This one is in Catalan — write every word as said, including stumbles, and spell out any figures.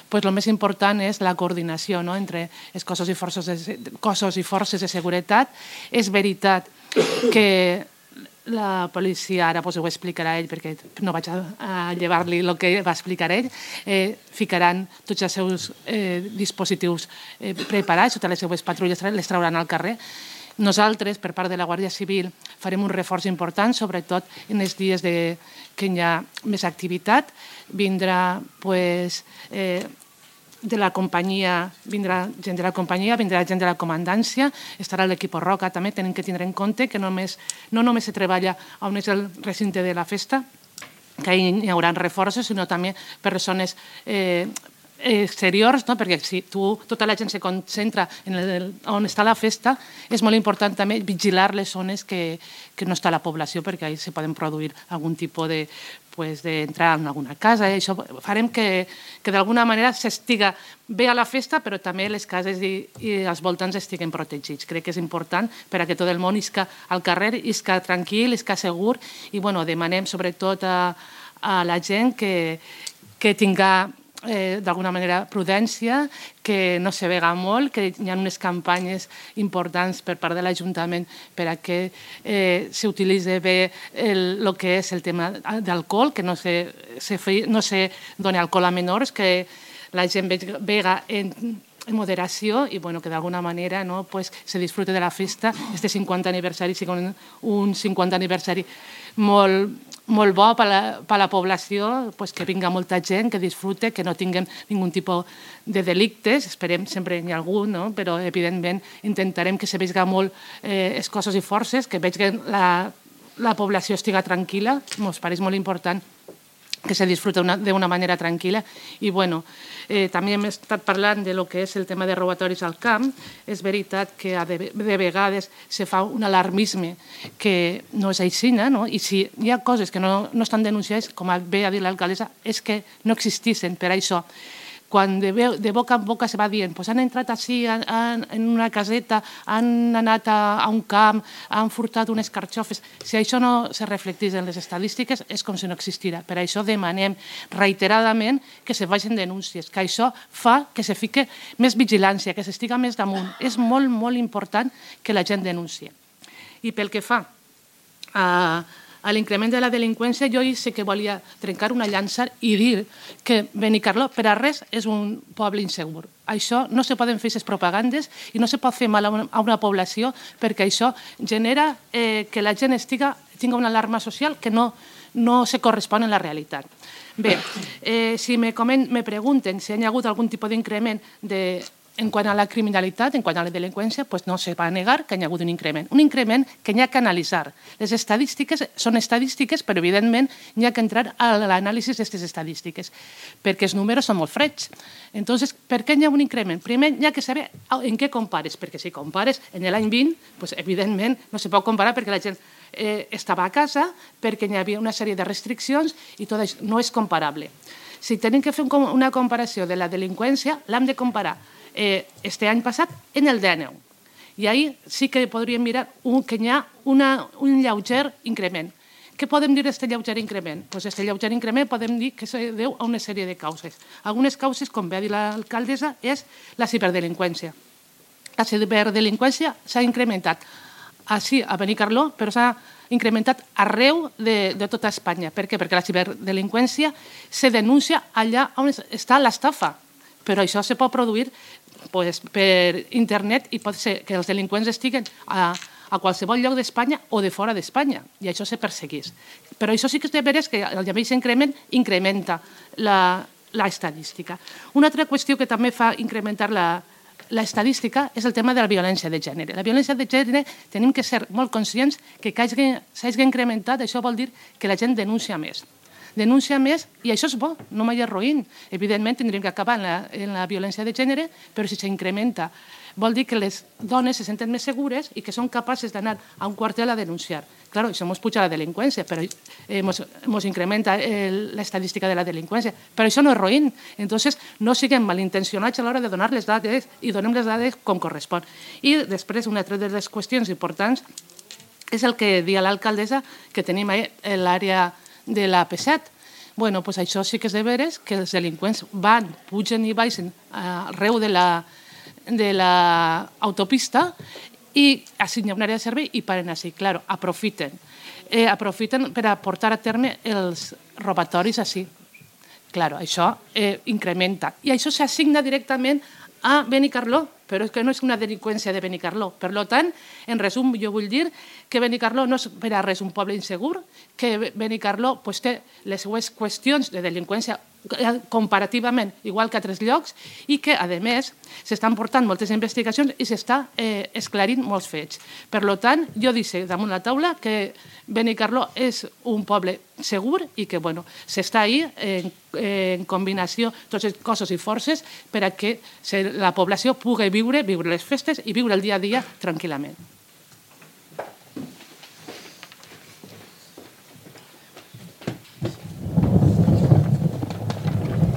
pues el més important és la coordinació, no?, entre els cossos i forces de, cossos i forces de seguretat. És veritat que la policia, ara pues, ho explicarà ell perquè no vaig a, a llevar-li el que va explicar ell, eh, ficaran tots els seus eh, dispositius eh, preparats, totes les seues patrulles les trauran al carrer. Nosaltres, per part de la Guàrdia Civil, farem un reforç important, sobretot en els dies de, que hi ha més activitat. Vindrà pues, eh, de la companyia, vindrà gent de la companyia, vindrà gent de la comandància, estarà l'equip Roca també. Tenim que tindre en compte que només, no només se treballa on és el recinte de la festa, que hi haurà reforços, sinó també persones eh, exteriors, no? Perquè si tu, tota la gent se concentra en el, on està la festa, és molt important també vigilar les zones que, que no està la població, perquè ahí se poden produir algun tipus de pues, d'entrar en alguna casa. I això farem que, que d'alguna manera s'estiga bé a la festa, però també les cases i, i els voltants estiguen protegits. Crec que és important per a que tot el món isca al carrer, isca tranquil, isca segur, i bueno, demanem sobretot a, a la gent que, que tinga Eh, d'alguna manera prudència, que no se vega molt, que hi ha unes campanyes importants per part de l'Ajuntament per a que eh, s'utilitzi bé el, el que és el tema d'alcohol, que no se, se, no se doni alcohol a menors, que la gent vega en, en moderació i bueno, que d'alguna manera no, pues, se disfrute de la festa. Este cinquanta aniversari sigui un, un cinquanta aniversari molt molt bo per a la, per a la població, pues, que vinga molta gent, que disfrute, que no tinguem ningun tipus de delictes, esperem sempre n'hi ha algun, no? Però evidentment intentarem que se vegi molt eh, els cossos i forces, que vegi la, la població estiga tranquil·la, ens pareix molt important que se disfruta d'una manera tranquil·la. I bueno, eh, també hem estat parlant de lo que és el tema de robatoris al camp. És veritat que de, de vegades se fa un alarmisme que no és així, no? I si hi ha coses que no, no estan denunciades, com bé ha dit l'alcaldessa, és que no existissin per això. Quan de, de boca en boca se va dient pues han entrat així han, han, en una caseta, han anat a, a un camp, han furtat unes carxofes. Si això no se reflectís en les estadístiques, és com si no existira. Per això demanem reiteradament que se vagin denúncies, que això fa que se fique més vigilància, que s'estiga més damunt. És molt, molt important que la gent denuncie. I pel que fa a... a l'increment de la delinqüència, jo sí que volia trencar una llança i dir que Benicarló per a res és un poble insegur. Això no se poden fer aquestes propagandes i no se pot fer mal a una, a una població perquè això genera eh, que la gent estiga, tinga una alarma social que no, no se correspon a la realitat. Bé, eh, si me, coment, me pregunten si hi ha hagut algun tipus d'increment de en quant a la criminalitat, en quant a la delinqüència, pues no se va negar que hi ha hagut un increment. Un increment que hi ha que analitzar. Les estadístiques són estadístiques, però evidentment hi ha que entrar a l'anàlisi d'aquestes estadístiques, perquè els números són molt freds. Entonces, per què hi ha un increment? Primer, hi ha que saber en què compares, perquè si compares en l'any vint, pues, evidentment no se pot comparar perquè la gent eh, estava a casa, perquè hi havia una sèrie de restriccions i tot això no és comparable. Si tenim que fer una comparació de la delinqüència, l'hem de comparar Eh, este any passat en el dinou. I ahir sí que podríem mirar un, que hi ha una, un lleuger increment. Què podem dir d'aquest lleuger increment? Pues este lleuger increment podem dir que se deu a una sèrie de causes. Algunes causes, com bé ha dit l'alcaldessa, és la ciberdelinqüència. La ciberdelinqüència s'ha incrementat així a Benicarló, però s'ha incrementat arreu de, de tota Espanya. Per què? Perquè la ciberdelinqüència se denuncia allà on està l'estafa. Però això se pot produir pues, per internet i pot ser que els delinqüents estiguen a, a qualsevol lloc d'Espanya o de fora d'Espanya, i això se perseguís. Però això sí que és de veres que el mateix increment incrementa l'estadística. Una altra qüestió que també fa incrementar la, l'estadística és el tema de la violència de gènere. La violència de gènere tenim que ser molt conscients que s'hagi incrementat, això vol dir que la gent denuncia més. Denuncia més, i això és bo, no mai és roïn. Evidentment, tindríem que acabar en la, en la violència de gènere, però si s'incrementa, vol dir que les dones se senten més segures i que són capaces d'anar a un quartel a denunciar. Clar, això ens puja la delinqüència, però ens eh, incrementa el, l'estadística de la delinqüència, però això no és roïn. Entonces, no siguem malintencionats a l'hora de donar les dades i donem les dades com correspon. I després, una altra de les qüestions importants és el que dia l'alcaldessa, que tenim l'àrea de l'A P set. bueno, pues això sí que és de veres que els delinqüents van, pugen i baixen arreu de la de l'autopista i així hi ha una àrea de servei i paren així. Claro, aprofiten. Eh, aprofiten per a portar a terme els robatoris així. Claro, això eh, incrementa. I això s'assigna directament a Benicarló, però és que no és una delinqüència de Benicarló. Per tant, en resum, jo vull dir que Benicarló no és per a res un poble insegur, que Benicarló pues, té les seues qüestions de delinqüència comparativament igual que a altres llocs i que, a més, s'estan portant moltes investigacions i s'està eh, esclarint molts fets. Per tant, jo dic damunt la taula que Benicarló és un poble segur i que bueno, s'està ahí en, en combinació tots els cossos i forces per a que la població pugui viure, viure les festes i viure el dia a dia tranquil·lament.